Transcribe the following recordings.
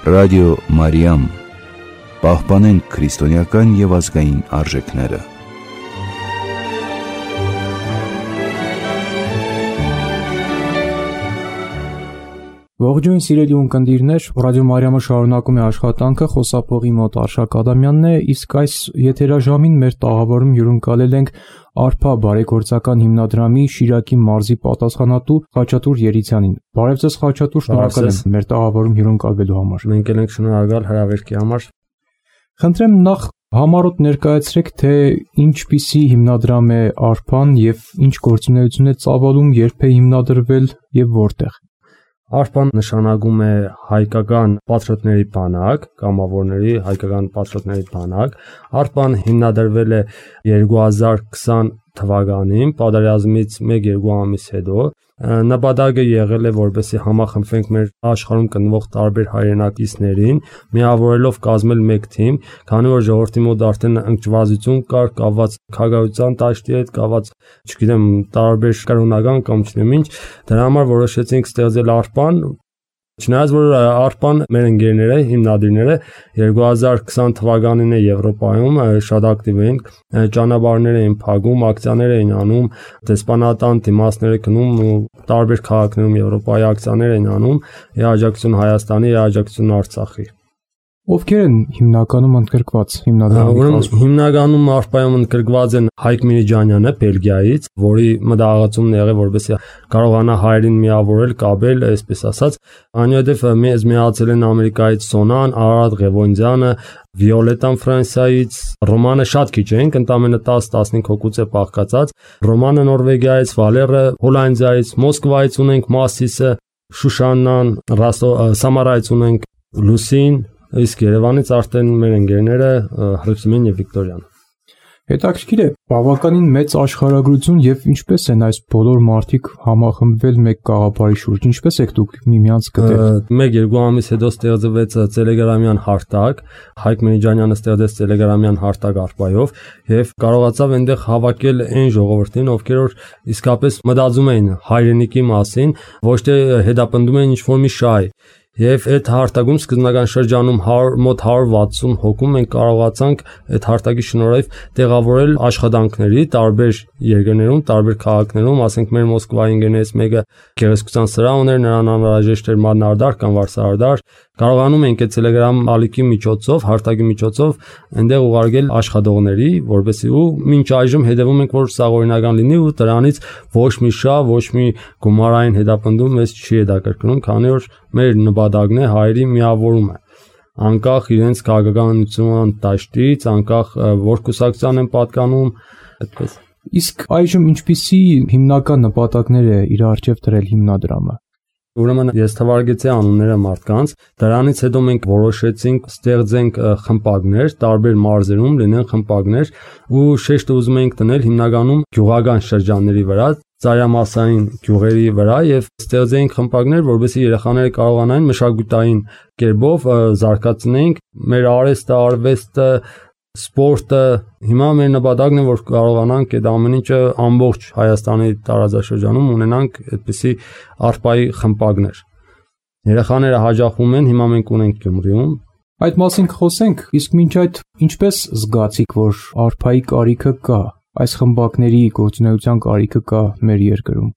Ռադիո Մարիամ, պահպանենք քրիստոնեական և ազգային արժեքները։ Ողջույն սիրելի ունկնդիրներ, Ռադիո Մարիամը շարունակում է աշխատանքը, խոսափողի մոտ Արշակ Ադամյանն է, իսկ այս եթերաժամին մեր տաղավարում հյուրընկալել ենք Արփա բարեգործական հիմնադրամի Շիրակի մարզի պատասխանատու Խաչատուր Երիցյանին։ Բարև ձեզ Խաչատուր, շնորհակալ եմ մեր տաղավարում հյուրընկալվելու համար։ Մենք ենք շնորհակալ հրավերքի համար։ Խնդրեմ նախ համառոտ ներկայացրեք, թե ինչպիսի հիմնադրամ է Արփան եւ ինչ գործունեություն է ծավալում, երբ է հիմնադրվել եւ որտեղ։ Արփան նշանակում է հայկական պատրիոտների բանակ, կամավորների հայկական պատրիոտների բանակ։ Արփան հիմնադրվել է 2020 թվականին, պատերազմից 1-2 ամիս հետո։ Նպատակը եղել է, որպեսզի համախմբվենք մեր աշխարհում գտնվող տարբեր հայրենակիցներին, միավորելով կազմել մեկ թիմ, քանի որ ժողովրդի մոտ արդեն ընկճվածություն կար, կապված քաղաքական դաշտի հետ, կապված, չգիտեմ, տարբեր կրոնական կամ չգիտեմ ինչ, դրա համար որոշեցինք ստեղծել Արփան։ Չնայած որ Արփան մեր ընկերները, հիմնադիրները 2020 թվականին է Եվրոպայում շատ ակտիվ էին, ճանապարհներ էին փակում, ակցիաներ էին անում, դեսպանատան դիմացներ գնում ու տարբեր քաղաքներում Եվրոպայի ակցիաներ էին անում, աջակցություն Հայաստանի, աջակցություն Արցախի։ Ովքեր են հիմնականում ընդգրկված հիմնադրամի կազմում։ Հիմնականում Արփայում ընդգրկված են Հայկ Միրիջանյանը Բելգիայից, որի մտահղացումն եղել, որպեսզի կարողանա հայերին միավորել, կապել, այսպես ասած, այնուհետև մեզ միացել են Ամերիկայից Սոնան, Արարատ Ղևոնդյանը, Վիոլետան Ֆրանսիայից, Ռոմանը շատ քիչ ենք, ընդամենը 10-15 հոգուց է բաղկացած, Ռոմանը Նորվեգիայից, Վալերը Հոլանդիայից, Մոսկվայից ունենք Մասիսը, Շուշաննան, Սամարայից ունենք Լուսին, իսկ Երևանից արդեն մեր ընկերները Հրիփսիմեն եւ Վիկտորիան։ Հետաքրքիր է, բավականին մեծ աշխարհագրություն եւ ինչպես են այս բոլոր մարդիկ համախմբվել մեկ գաղափարի շուրջ, ինչպես եք դուք միմյանց գտել։ 1-2 ամիս հետո ստեղծվեց Տելեգրամյան հարթակ, Հայկ Միրիջանյանը ստեղծեց Տելեգրամյան հարթակ Արփայով եւ կարողացավ այնտեղ հավաքել այն ժողովրդին, ովքեր որ իսկապես մտածում էին հայրենիքի մասին, ոչ թե հետապնդում էին ինչ-որ մի շահ։ Եվ այդ հարթակում սկզբնական շրջանում մոտ 160 հոգու մենք կարողացանք այդ հարթակի շնորհիվ տեղավորել աշխատանքների տարբեր երկրներում, տարբեր քաղաքներում, ասենք մեր Մոսկվայի ընկերներից մեկը գեղեցկության սրահ ուներ, նրան անհրաժեշտ էր մանրադար կամ վարսարդար, կարողանում ենք այդ Telegram ալիքի միջոցով, հարթակի միջոցով այնտեղ ուղարկել աշխատողների, որպեսզի ու մինչ այժմ հետևում ենք, որ սա օրինական լինի ու դրանից ոչ մի շահ, ոչ մի գումարային հետապնդում մեզ չի հետաքրքրում, քանի որ մեր նպատակն է հայերի միավորումը, անկախ իրենց քաղաքականության դաշտից, անկախ որ կուսակցության են պատկանում, այդպես։ Իսկ այժմ ինչպիսի հիմնական նպատակներ է իր առջև դրել հիմնադրամը։ Ուրեմն ես թվարկեցի անունները մարդկանց, դրանից հետո մենք որոշեցինք ստեղծենք խմբակներ, տարբեր մարզերում լինեն խմբակներ ու շեշտը ուզում ենք դնել հիմնականում գյուղական շրջանների վրա, ծայրամասային գյուղերի վրա եւ ստեղծենք խմբակներ, որովհետեւ երեխաները կարողանային մշակութային կերպով զարգացնենք մեր արվեստը, սպորտը, հիմա մեր նպատակն է, որ կարողանանք այդ ամեն ինչը ամբողջ Հայաստանի տարածաշրջանում ունենանք այդպիսի Արփայի խմբակներ։ Երեխաները հաջողվում են, հիմա մենք ունենք Գյումրիում։ Այդ մասին խոսենք, իսկ մինչ այդ ինչպես զգացիք, որ Արփայի կարիքը կա, այս խմբակների գործունեության կարիքը կա մեր երկրում։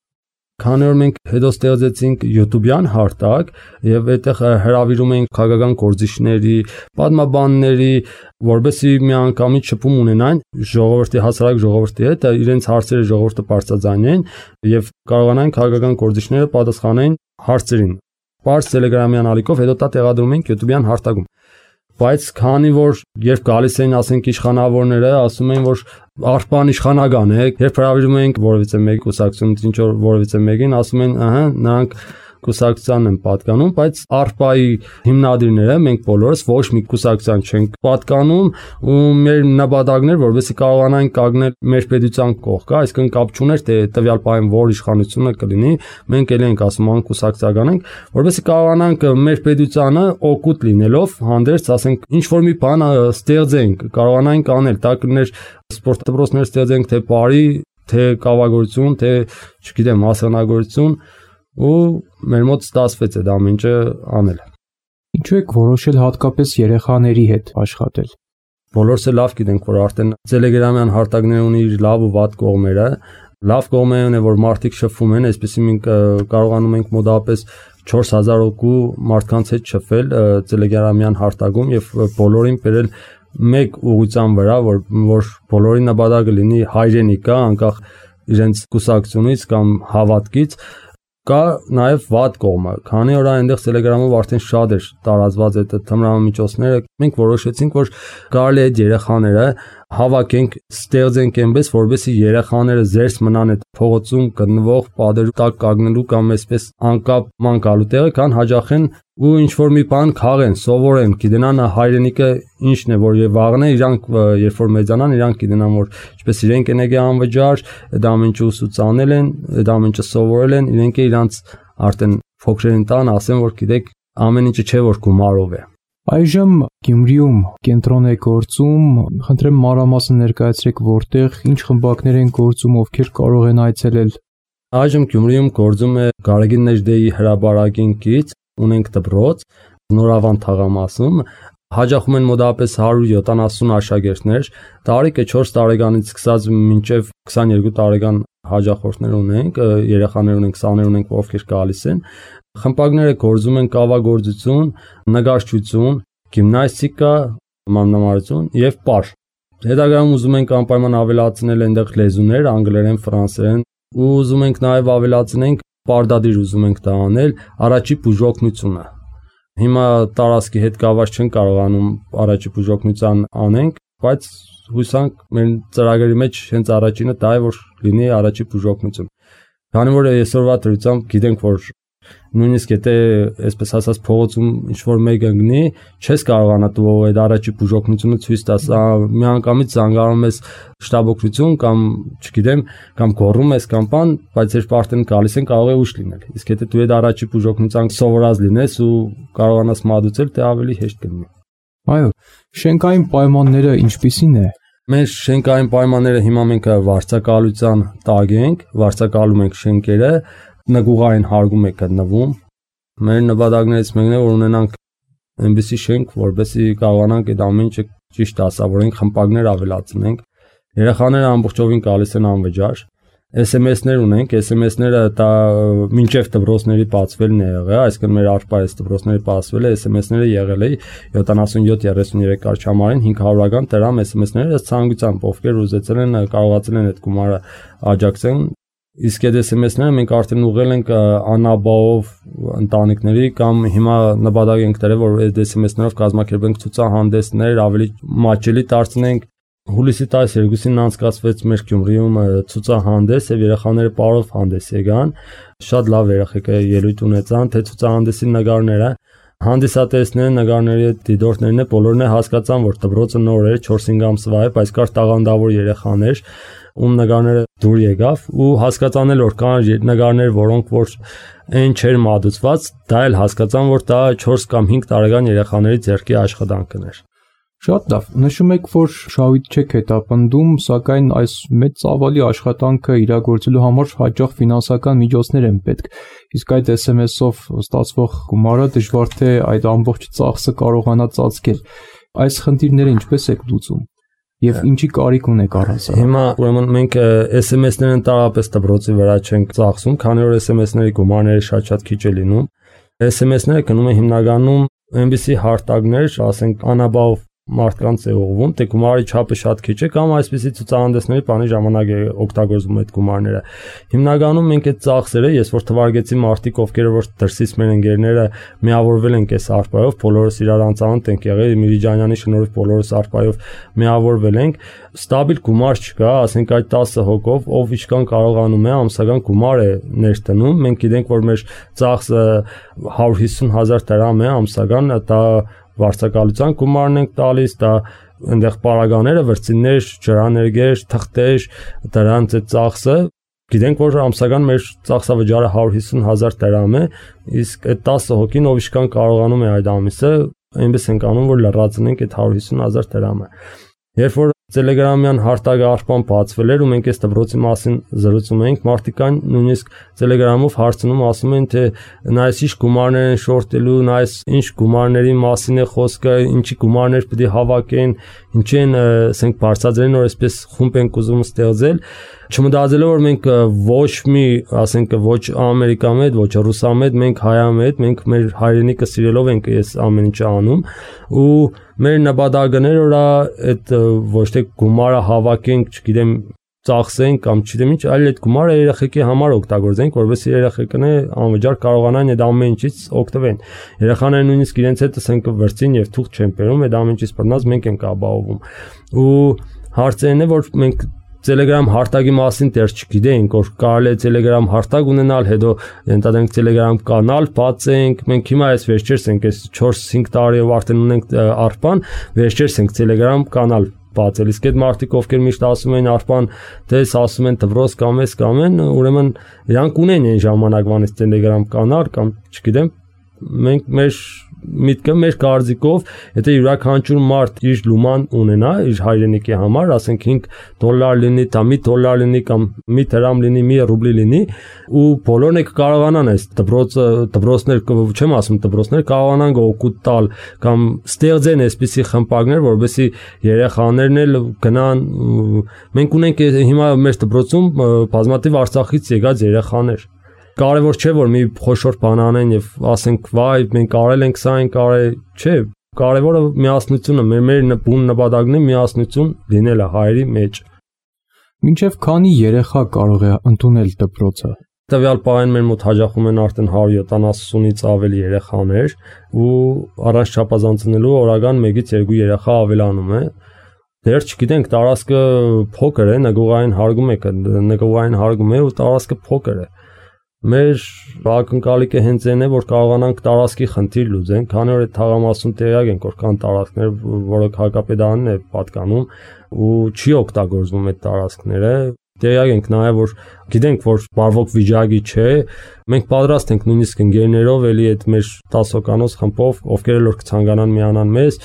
Քանի որ մենք հետո ստեղծեցինք YouTube-յան հարթակ եւ այդտեղ հրավիրում ենք քաղաքական գործիչների, պատմաբանների, որովհետեւ միանգամից շփում ունենան ժողովրդի հասարակ ժողովրդի հետ, իրենց հարցերը ժողովուրդը բարձրաձայնեն եւ կարողանան քաղաքական գործիչները պատասխանեն հարցերին։ Պարզ Telegram-յան ալիքով հետո դա տեղադրում ենք YouTube-յան հարթակում։ Բայց քանի որ երբ գալիս էին, ասենք իշխանավորները, ասում էին, որ Արփան իշխանական է, երբ հրավիրում ենք որևիցե մեկ կուսակցություն, ինչ որ որևիցե մեկին, ասում են, նրանք կուսակցությանն են պատկանում, բայց Արփայի հիմնադիրները, մենք բոլորս ոչ մի կուսակցության չենք պատկանում ու մեր նպատակն էր, որովհետեւ կարողանանք կանգնել մեր պետության կողքը, այսինքն կապ չուներ թե տվյալ պահին որ իշխանությունը կլինի, մենք էլ ենք ասում անկուսակցական ենք, որովհետեւ կարողանանք մեր պետությանը օգուտ լինելով հանդերձ, ասենք ինչ որ մի բան ստեղծենք, կարողանանք անել, դա կներ սպորտ դպրոցներ ստեղծենք թե բարի, թե կավագործություն, թե չգիտեմ, մասնագործություն ու մեր մոտ ստացվեց այդ ամենը անել։ Ինչու եք որոշել հատկապես երեխաների հետ աշխատել։ Բոլորս էլ լավ գիտենք, որ արդեն Telegram-յան հարթակները ունի իր լավ ու վատ կողմերը։ Լավ կողմերը, որ մարդիկ շփվում են, այսպեսի մենք կարողանում ենք մոտավորապես 4000 հոգու մարդկանց հետ շփվել Telegram-յան հարթակում եւ բոլորին բերել մեկ ուղղության վրա, որ բոլորի նպատակը լինի հայրենիքա, անկախ իրենց կուսակցությունից կամ հավատքից։ Կա նաև վատ կողմը, քանի որ այնտեղ Telegram-ով արդեն շատ էր տարածված այդ թմրամիջոցները, մենք որոշեցինք, որ կարելի է երեխաները հավաքենք, ստեղծենք այնպես, որպեսզի երեխաները զերծ մնան այդ փողոցում գտնվող պատերու տակ կանգնելու կամ այսպես անկապ մանկալու տեղը, կան հաջախեն ու ինչ որ մի բան քաղեն, սովորեն, գիտենան հայրենիքը ինչն է, որ վաղն է իրանք երբ որ մեծանան, իրանք գիտենան, որ ինչպես իրենք են եկել անվճար, այդ ամենը ուսուցանել են, այդ ամենը սովորել են, իրենք իրանց արդեն փոքրերին տան ասեն, որ գիտեք, ամեն ինչը չէ որ գումարով է։ Այժմ Գյումրիում կենտրոն է գործում, խնդրեմ մանրամասն ներկայացրեք որտեղ, ինչ խմբակներ են գործում, ովքեր կարող են այցելել։ Այժմ Գյումրիում գործում է Գարեգին Նեժդեի հրաբարակին կից, ունենք դպրոց Նորավան թաղամասում, հաջախում են մոտավորապես 170 աշակերտներ, տարեկը 4 տարեկանից սկսած մինչև 22 տարեկան հաջախորդներ ունենք, երեխաներ ունենք, սաներ ունենք, ովքեր գալիս են։ Խմբակները գործում են կավագործություն, նկարչություն, գիմնաստիկա, մանրամասն եւ պար։ Հետագայում ուզում ենք անպայման ավելացնել այնտեղ լեզուներ, անգլերեն, ֆրանսերեն, ու ուզում ենք նաեւ ավելացնենք պարտադիր ուզում ենք դա անել առաջի բուժօգնությունը։ Հիմա տարածքի հետ կապված չեն կարողանում առաջի բուժօգնության անենք, բայց հուսանք մեր ծրագրի մեջ հենց առաջինը դա է, որ լինի առաջի բուժօգնություն։ Քանի որ այսօրվա դրությամբ գիտենք, որ նույնիսկ եթե այսպես ասած փողոցում ինչ որ մեկը գնի, չես կարողանա դու այդ առաջի բուժօգնությունը ցույց տաս, միանգամից զանգանում ես շտաբօգնություն կամ չգիտեմ, կամ գոռում ես կամ բան, բայց երբ արդեն գալիս են կարող է ուշ լինել։ Իսկ եթե դու այդ առաջի բուժօգնության սովորած լինես ու կարողանաս մատուցել, դա ավելի հեշտ կլինի։ Այո, շենքային պայմանները ինչպիսին է։ Մեր շենքային պայմանները հիմա մենք վարձակալության տակ ենք, վարձակալում ենք շենքերը, նգուղային հարգում է գտնվում։ Մեր նպատակներից մեկն է, որ ունենանք այնպիսի շենք, որպեսզի կարողանանք այդ ամեն ինչը ճիշտ դասավորենք, խմբակներ ավելացնենք։ Երեխաները ամբողջովին գալիս են անվճար։ SMS-ներ ունենք, SMS-ները դա մինչև դպրոցների բացվելն է եղել, այսինքն մեր արխիվայից դպրոցների բացվել է, SMS-ները եղել է 77-33 կարգամարին 500-ական դրամ SMS-ները ցանկությամբ ովքեր ուզեցել են կարողացել են այդ գումարը աջակցեն։ Իսկ այդ SMS-ները մենք արդեն ուղղել ենք անաբաով ընտանիքների կամ հիմա նպատակ ենք դրել, որ այդ SMS-ներով կազմակերպենք ցուցահանդեսներ, ավելի մատչելի դարձնենք։ Հուլիսի 12-ին անցկացվեց մեր Գյումրիում ցուցահանդես եւ երեխաները պարով հանդես եկան։ Շատ լավ երեխեք ելույթ ունեցան, թե ցուցահանդեսի նկարները հանդիսատեսները, նկարների դիտորդներն է բոլորն է հասկացան, որ դպրոցը նոր էր 4-5 ամսվա է, բայց կար տաղանդավոր երեխաներ, ում նկարները դուր եկավ ու հասկացան էլ որ կան նկարներ, որոնք որ այն չէր մատուցված, դա էլ հասկացան, որ դա 4 կամ 5 տարեկան երեխաների ձեռքի աշխատանքն էր։ Շատ լավ, նշում եք, որ շահույթ չեք հետապնդում, սակայն այս մեծ ծավալի աշխատանքը իրագործելու համար հաճախ ֆինանսական միջոցներ են պետք։ Իսկ այդ SMS-ով ստացվող գումարը դժվար թե այդ ամբողջ ծախսը կարողանա ծածկել։ Այս խնդիրները ինչպես եք լուծում եւ ինչի կարիք ունեք առհասարակ։ Հիմա ուրեմն մենք SMS-ները ընդհանրապես դպրոցի վրա չենք ծախսում, քանի որ SMS-ների գումարները շատ քիչ է լինում։ SMS-ները գնում են հիմնականում այնպիսի հարթակներ, ասենք անաբավ մարդկանց է ուղղվում, թե գումարի չափը շատ քիչ է կամ այսպիսի ցուցահանդեսների բանի ժամանակ է օգտագործում այդ գումարները։ Հիմնականում մենք այդ ծախսերը, ես որ թվարկեցի մարդիկ, ովքեր որ դրսից մեր ընկերները միավորվել են այս արխայով, բոլորս իրար անծանոթ ենք եղել, Միրիջանյանի շնորհիվ բոլորս արխայով միավորվել ենք, ստաբիլ գումար չկա, ասենք այդ 10 հոգով, ով ինչքան կարողանում է ամսական գումար է ներդնում, մենք գիտենք, որ մեր ծախսը 150,000 դրամ է ամսական, դա վարձակալության գումարն ենք տալիս, դա այնտեղ պարագաները, վրձիններ, ջրաներգեր, թղթեր, դրանց այդ ծախսը, գիտենք, որ ամսական մեր ծախսավճարը 150,000 դրամ է, իսկ այդ 10 հոգին ով ինչքան կարողանում է այդ ամիսը, այնպես ենք անում, որ լրացնենք այդ 150,000 դրամը։ Երբ որ Տելեգրամյան հարթակը արփան բացվել էր ու մենք այս դպրոցի մասին զրուցում էինք, մարդիկան նույնիսկ Տելեգրամով հարցնում, ասում են թե նայես ինչ գումարներ են շորտելու, նայես ինչ գումարների մասին է խոսքը, ինչի գումարներ պետք է հավաքեն, ինչի են, ասենք, բարձրացրել, որ այսպես խումբ են ուզում ստեղծել, չմտածելով որ մենք ոչ մի, ասենք, ոչ ամերիկամետ, ոչ ռուսամետ, մենք հայամետ, մենք մեր հայրենիքը սիրելով ենք այս ամեն ինչը անում ու մեր նպատակները որ այդ ոչ թե գումարը հավաքենք, չգիտեմ, ծախսենք կամ չգիտեմ ինչ, այլ այդ գումարը երեխեքի համար օգտագործենք, որովհետեւ երեխեքները անվճար կարողանան այդ ամեն ինչից օգտվեն։ Երեխաները նույնիսկ իրենց հետ ասենք վրձին եւ թուղթ չեն բերում, այդ ամեն ինչից բռնած մենք ենք ապահովում։ Ու հարցերն է որ մենք Telegram հարթակի մասին դեռ չգիտենք, որ կարելի է Telegram հարթակ ունենալ, հետո ընդհանրենք Telegram կանալ բացենք, մենք հիմա այս վերջերս ենք, այս 4-5 տարիով արդեն ունենք արփան, վերջերս ենք Telegram կանալ բացել, իսկ այդ մարդիկ ովքեր միշտ ասում են արփան, դες ասում են դպրոց կամ էս կամ են, ուրեմն իրանք ունեն այն ժամանակվանից Telegram կանալ կամ չգիտեմ, մենք մեր միտքը մեր կարծիքով, եթե յուրաքանչյուր մարդ իր լուման ունենա իր հայրենիքի համար, ասենք $5 լինի, կամ $1 լինի կամ մի դրամ լինի, մի ռուբլի լինի, ու բոլորն եք կարողանան այս դպրոցներ, չեմ ասում դպրոցներ, կարողանան օգուտ տալ կամ ստեղծեն այսպիսի խմբակներ, որովհետեւ երեխաներն էլ գնան, մենք ունենք հիմա մեր դպրոցում բազմաթիվ Արցախից եկած երեխաներ Կարևոր չէ որ մի խոշոր բան անեն եւ ասենք վայ մենք արել ենք սա ենք արել չէ կարևորը միասնությունը մեր բուն նպատակն է միասնություն լինելը հայերի մեջ Մինչև քանի երեխա կարող է ընդունել դպրոցը Տվյալ պահին մեր մոտ հաջողում են արդեն 170-ից ավելի երեխաներ ու առանց չափազանցնելու օրական 1-ից 2 երեխա ավելանում է Դեռ չգիտենք տարածքը փոքր է նկուղային հարգում է ու տարածքը փոքր է Մեր ակնկալիքը հենց այն է, որ կարողանանք տարածքի խնդիր լուծենք, քանի որ այդ թաղամասում տեղյակ ենք, որ կան տարածքներ, որոնք հակապետարանն է պատկանում ու չի օգտագործվում այդ տարածքները։ Տեղյակ ենք նաև, որ գիտենք, որ բարվոք վիճակի չէ, մենք պատրաստ ենք նույնիսկ ընկերներով էլի այդ մեր 10 հոգանոց խմբով, ովքեր էլ որ կցանկանան միանան մեզ,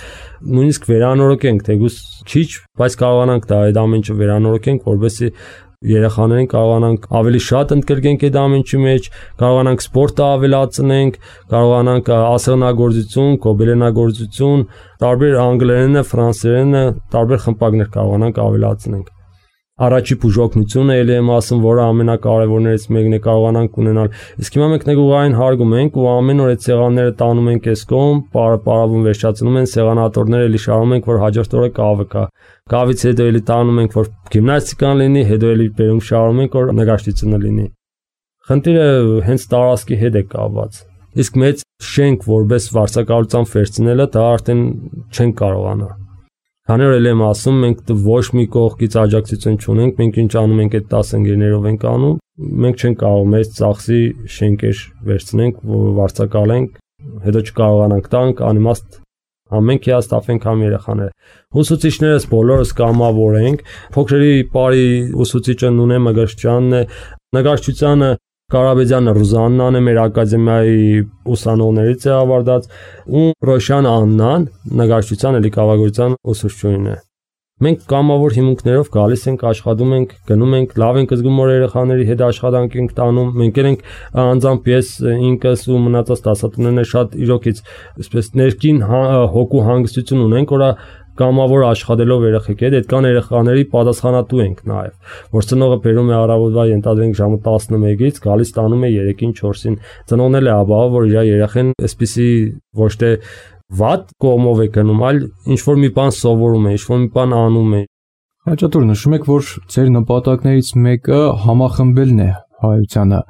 նույնիսկ վերանորոգենք, թեկուզ քիչ, բայց կարողանանք դա այդ ամեն ինչը վերանորոգենք, որովհետեւ Երեխաներին կարողանանք ավելի շատ ընդգրկենք այդ ամենի մեջ, կարողանանք սպորտը ավելացնենք, կարողանանք ասեղնագործություն, գոբելենագործություն, տարբեր անգլերենը, ֆրանսերենը, տարբեր խմբակներ կարողանանք ավելացնենք։ Առաջի բուժօգնությունը ելի եմ ասում, որը ամենակարևորներից մեկն է կարողանանք ունենալ։ Իսկ հիմա մենք նկուղային հարգում ենք ու ամեն օր այդ սեղանները տանում ենք այս կողմ, պարապարավում վերջացնում են սեղանատորները էլի շարում ենք, որ հաջորդ օրը կավը կա։ Կավից հետո էլի տանում ենք, որ գիմնաստիկան լինի, հետո էլի բերում շարում ենք, որ նկարչությունը լինի։ Խնդիրը հենց տարածքի հետ է կապված։ Իսկ մեծ շենք որպես վարձակալությամբ վերցնելը դա արդեն չեն կարողանա։ Քանի որ եմ ասում, մենք ոչ մի կողքից աջակցություն չունենք, մենք ինչ անում ենք այդ 10 ընկերներով ենք անում, մենք չենք կարող մեծ ծախսի շենքեր վերցնենք, վարձակալենք, հետո չկարողանանք տանք, անիմաստ ամենք հիաստափենք համ երեխաները։ Ուսուցիչներս բոլորս կամավոր ենք, փոքրերի բարի ուսուցիչը Նունե Մգրշչյանն է, նկարչությանը Կարաբեդյանը Ռուզաննան է մեր ակադեմիայի ուսանողներից է ավարտած ու Ռոշան Աննան նկարչության էլի կավագործության ուսուցչուհին է Մենք կամավոր հիմունքներով գալիս ենք աշխատում ենք գնում ենք լավ ենք զգում որ երեխաների հետ աշխատանք ենք տանում մենք ենք անձամբ ես ինքս ու մնացած դասատուներն շատ իրոքից այսպես ներքին հոգու հանգստություն ունենք որ Կամավոր աշխատելով երեխեքի հետ, այդ կան երեխաների պատասխանատու ենք նաև, որ ծնողը բերում է առավոտվա ենթադրենք ժամը 11-ից, գալիս տանում է 3-ին 4-ին, ծնողն էլ է ապահով, որ իր երեխեն այսպիսի ոչ թե վատ կողմով է գնում, այլ ինչ-որ մի բան սովորում է, ինչ-որ մի բան անում է։ Հաճատուր նշում եք, որ ձեր նպատակներից մեկը համախմբելն է հայությանը։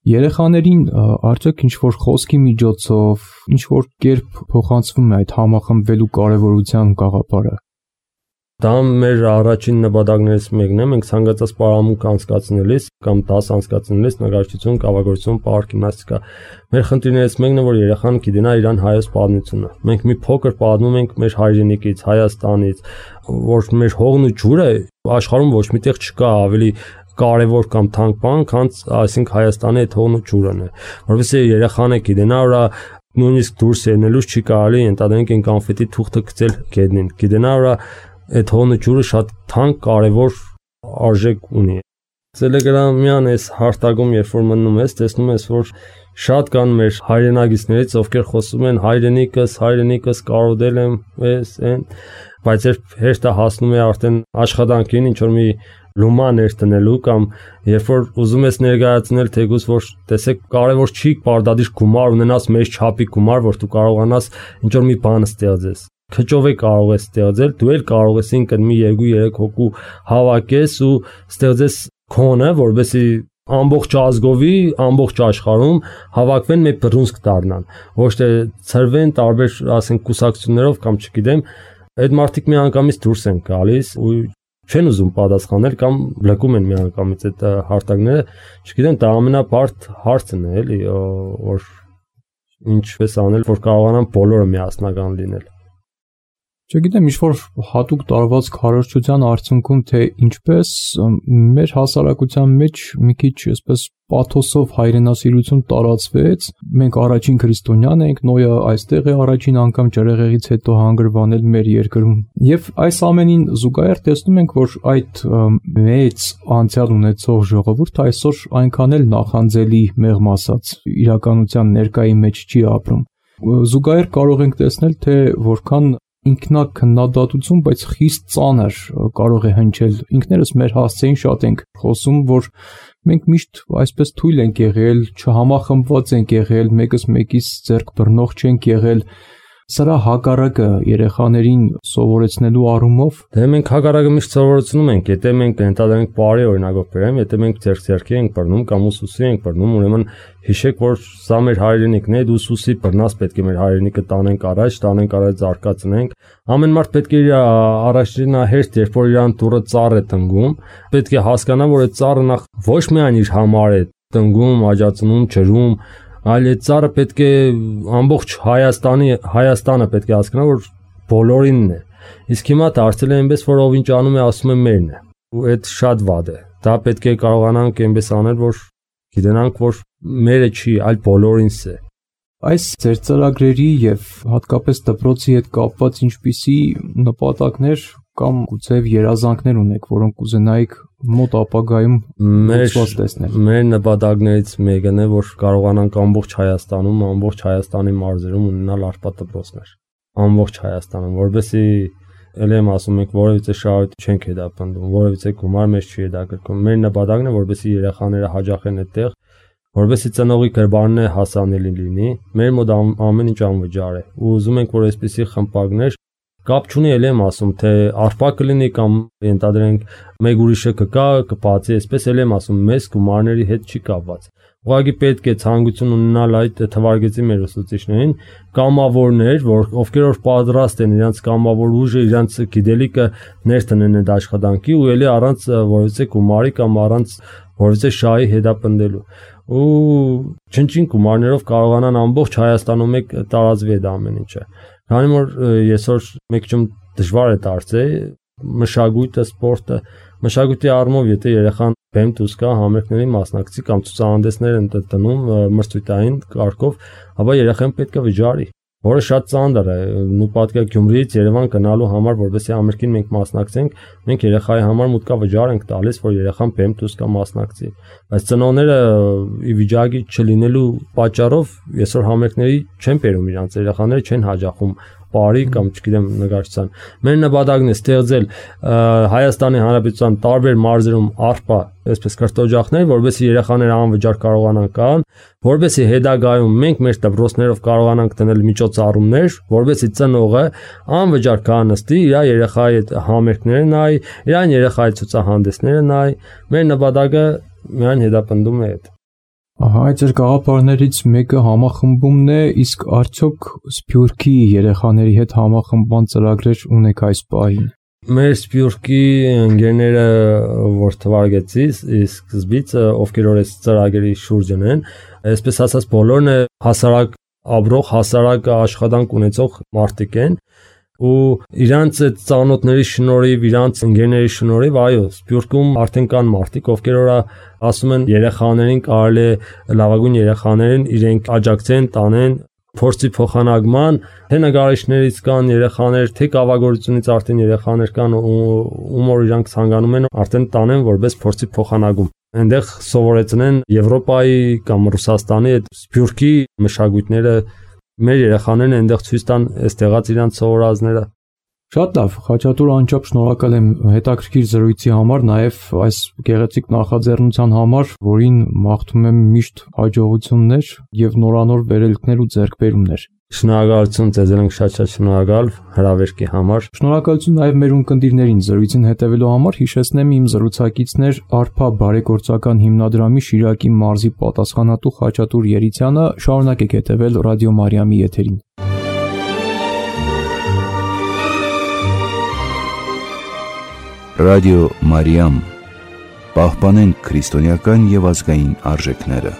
Երեխաներին արդյոք ինչ-որ խոսքի միջոցով, ինչ-որ կերպ փոխանցվում է այդ համախմբվելու կարևորության գաղափարը։ Դա մեր առաջին նպատակներից մեկն է, մենք ցանկացած պարամունք անցկացնելիս կամ դաս անցկացնելիս նկարչություն, կավագործություն, պարկ, գիմնաստիկա, մեր խնդիրներից մեկն է, որ երեխան գիտենա իրան հայոց պատմությունը։ Մենք մի փոքր պատմում ենք մեր հայրենիքից, Հայաստանից, որ մեր հողն ու ջուրը աշխարհում ոչ միտեղ չկա, ավելի կարևոր կամ թանկ բան, քան այսինքն Հայաստանի այդ հողն ու ջուրն է։ Որովհետեւ երեխան է գիտենա, որ նույնիսկ դուրս ելնելուց չի կարելի ընդհանրենք այն կոնֆետի թուղթը գցել գետնին։ Գիտենա, որ այդ հոնը ջուրը շատ թանկ կարևոր արժեք ունի։ Telegram-յան այս հարտակում երբ որ մտնում ես, տեսնում ես որ շատ կան մեր հայրենագիցներից, ովքեր խոսում են հայրենիքս կարոտել եմ, բայց երբ հերթը հասնում է արդեն աշխատանքին, ինչ որ մի լումա ներտնելու կամ երբ որ ուզում ես ներկայացնել թեկուզ որ տեսեք կարևոր չի պարտադիր գումար ունենաս մեծ չափի գումար, որ դու կարողանաս ինչ որ մի բան ստեղծես։ Քչով է կարող ես ստեղծել, դու էլ կարող ես ինքդ մի 2-3 հոգու հավաքես ու ստեղծես քոնը, որովհետեւ ամբողջ ազգովի, ամբողջ աշխարհում հավաքվեն մեկ բռունցք դառնան, ոչ թե ծրվեն տարբեր, ասենք, կուսակցություններով կամ չգիտեմ, այդ մարդիկ միանգամից դուրս են գալիս ու չեն ուզում պատասխանել կամ բլոկում են միանգամից այդ հարտակները, չգիտեմ, դա ամենաբարդ հարցն է, էլի, որ ինչպես անել, որ կարողանան բոլորը միասնական լինել։ Չգիտեմ, ինչ-որ հատուկ տարված քարոզչության արդյունքում թե ինչպես մեր հասարակության մեջ մի քիչ այսպես պաթոսով հայրենասիրություն տարածվեց, մենք առաջին քրիստոնյան ենք, Նոյը այստեղ է առաջին անգամ ջրեղեղից հետո հանգրվանել մեր երկրում։ Եվ այս ամենին զուգահեռ տեսնում ենք, որ այդ մեծ անցյալ ունեցող ժողովուրդը այսօր այնքան էլ նախանձելի մեղմ ասած իրականության ներկայի մեջ չի ապրում։ Զուգահեռ կարող ենք տեսնել, թե որքան ինքնակնդատություն, բայց խիստ ծանր կարող է հնչել։ Ինքներս մեր հասցեին շատ ենք խոսում, որ մենք միշտ այսպես թույլ ենք եղել, չհամախմբված ենք եղել, մեկս մեկից ձեռք բռնող չենք եղել։ Սրա հակառակը երեխաներին սովորեցնելու առումով դե մենք հակառակը միշտ սովորեցնում ենք, եթե մենք ընդհանրենք բարի օրինակով բերեմ, եթե մենք ձեռք-ձեռքի ենք բռնում կամ ուսուսի ենք բռնում, ուրեմն հիշեք, որ սա մեր հայրենիքն է, դու ուսուսի բռնաս, պետք է մեր հայրենիքը տանենք առաջ զարգացնենք։ Ամեն մարդ պետք է իր առաջնահերթ, երբ որ իրան դուրը ծառ է տնգում, պետք է հասկանա, որ այդ ծառը նախ ոչ միայն իր համար է տնգում, աջակցում, ջրում, այլ այդ ծառը պետք է ամբողջ Հայաստանը պետք է հասկանա, որ բոլորինն է։ Իսկ հիմա դարձել է այնպես, որ ով ինչ անում է, ասում է մերն է։ Ու այդ շատ վատ է։ Դա պետք է կարողանանք այնպես անել, որ գիտենանք, որ մերը չի, այլ բոլորինս է։ Այս ձեր ծրագրերի եւ հատկապես դպրոցի հետ կապված ինչպիսի նպատակներ կամ գուցե երազանքներ ունեք, որոնք կուզենայիք մոտ ապագայում լուծված տեսնել։ Մեր նպատակներից մեկն է, որ կարողանանք ամբողջ Հայաստանում, ամբողջ Հայաստանի մարզերում ունենալ առպատ դպրոցներ։ Ամբողջ Հայաստանում, որովհետեւ ել եմ ասում ենք, որևիցե շահույթ չենք հետապնդում, որևիցե գումար մեզ չի հետաքրքրում։ Մեր նպատակն է, որովհետեւ երեխաները հաջողեն այդտեղ, որովհետեւ ծնողի գրբանն է հասանելի լինի, մեր մոտ ամեն ինչ անվճար է։ Ու ուզում ենք, որ այսպիսի խմբակներ կապ չունի, ել եմ ասում, թե արփա կլինի կամ ենթադրենք մեկ ուրիշը կգա, կբացի, այսպես ել եմ ասում, մեզ գումարների հետ չի կապված։ Ուղղակի պետք է ցանկություն ունենալ այդ թվարկեցի մեր ուսուցիչներին, կամավորներ, ովքեր որ պատրաստ են իրանց կամավոր ուժը, իրանց գիտելիքը ներտնեն այդ աշխատանքի ու ելի առանց որևիցե գումարի կամ առանց որևիցե շահի հետապնդելու։ Ու չնչին գումարներով կարողանան ամբողջ Հայաստանում մեկ տարածվի այդ ամեն ինչը։ Քանի որ այսօր մեկ ճում դժվար է դարձել մշակույթը, սպորտը, մշակույթի առումով, եթե երեխան բեմ դուրս գա համերգների մասնակցի կամ ցուցահանդեսներ են տնում մրցույթային կարգով, ապա երեխան պետք է վճարի, որը շատ ծանր է։ Նու պատկեր Գյումրիից Երևան գնալու համար, որովհետեւ համերգին մենք մասնակցենք, մենք երեխայի համար մուտքա վճար ենք տալիս, որ երեխան բեմ դուրս գա մասնակցի։ Բայց ծնողները ի վիճակի չլինելու պատճառով այսօր համերգների չեն բերում իրանց երեխաները չեն հաջողում բարի կամ չգիտեմ նկարչության։ Մեր նպատակն է ստեղծել Հայաստանի Հանրապետության տարբեր մարզերում արփա, այսպես կրթօջախներ, որովհետեւ երեխաները անվճար կարողանան կան, որովհետեւ հետագայում մենք մեր դպրոցներով կարողանանք տնել միջոցառումներ, որովհետեւ ծնողը անվճար կանստի իր երեխայի համերգները նայ, իրան երեխայի ցուցահանդեսները նայ։ Մեր նպատակը միայն հետապնդում է այդ։ Ահա, այդ ձեր գաղափարներից մեկը համախմբումն է, իսկ արդյոք Սփյուռքի երեխաների հետ համախմբման ծրագրեր ունեք այս պահին։ Մեր Սփյուռքի ընկերները, որ թվարկեցի, սկզբից ովքեր որ այս ծրագրերի շուրջն են, այսպես ասած բոլորն հասարակ ապրող, հասարակ աշխատանք ունեցող մարդիկ են ու իրանց այդ ծանոթների շնորհիվ, իրանց ընկերների շնորհիվ, այո, Սփյուռքում արդեն կան մարդիկ, ովքեր որ ասում են երեխաներին կարելի է լավագույն երեխաներին իրենք աջակցեն, տանեն, փորձի փոխանակման, թե նկարիչներից կան երեխաներ, թե կավագործությունից արդեն երեխաներ կան, ում որ իրանք ցանկանում են արդեն տանեն որպես փորձի փոխանակում։ Այնտեղ սովորեցնեն Եվրոպայի կամ Ռուսաստանի այդ սփյուռքի մշակույթները, մեր երեխաներն այնտեղ ցույց տան այստեղած իրանք սովորածները։ Շատ լավ, Խաչատուր անչափ շնորհակալ եմ հետաքրքիր զրույցի համար, նաև այս գեղեցիկ նախաձեռնության համար, որին մաղթում եմ միշտ հաջողություններ եւ նորանոր վերելքներ ու ձեռքբերումներ։ Շնորհակալություն ձեզ, շատ շնորհակալ հրավերքի համար։ Շնորհակալություն նաև մեր ունկնդիրներին զրույցին հետևելու համար։ Հիշեցնեմ իմ զրուցակիցներ Արփա բարեգործական հիմնադրամի Շիրակի մարզի պատասխանատու Խաչատուր Երիցյանը։ Շարունակեք հետևել Ռադիո Մարիամի եթերին։ Ռադիո Մարիամ, պահպանենք քրիստոնեական եւ ազգային արժեքները։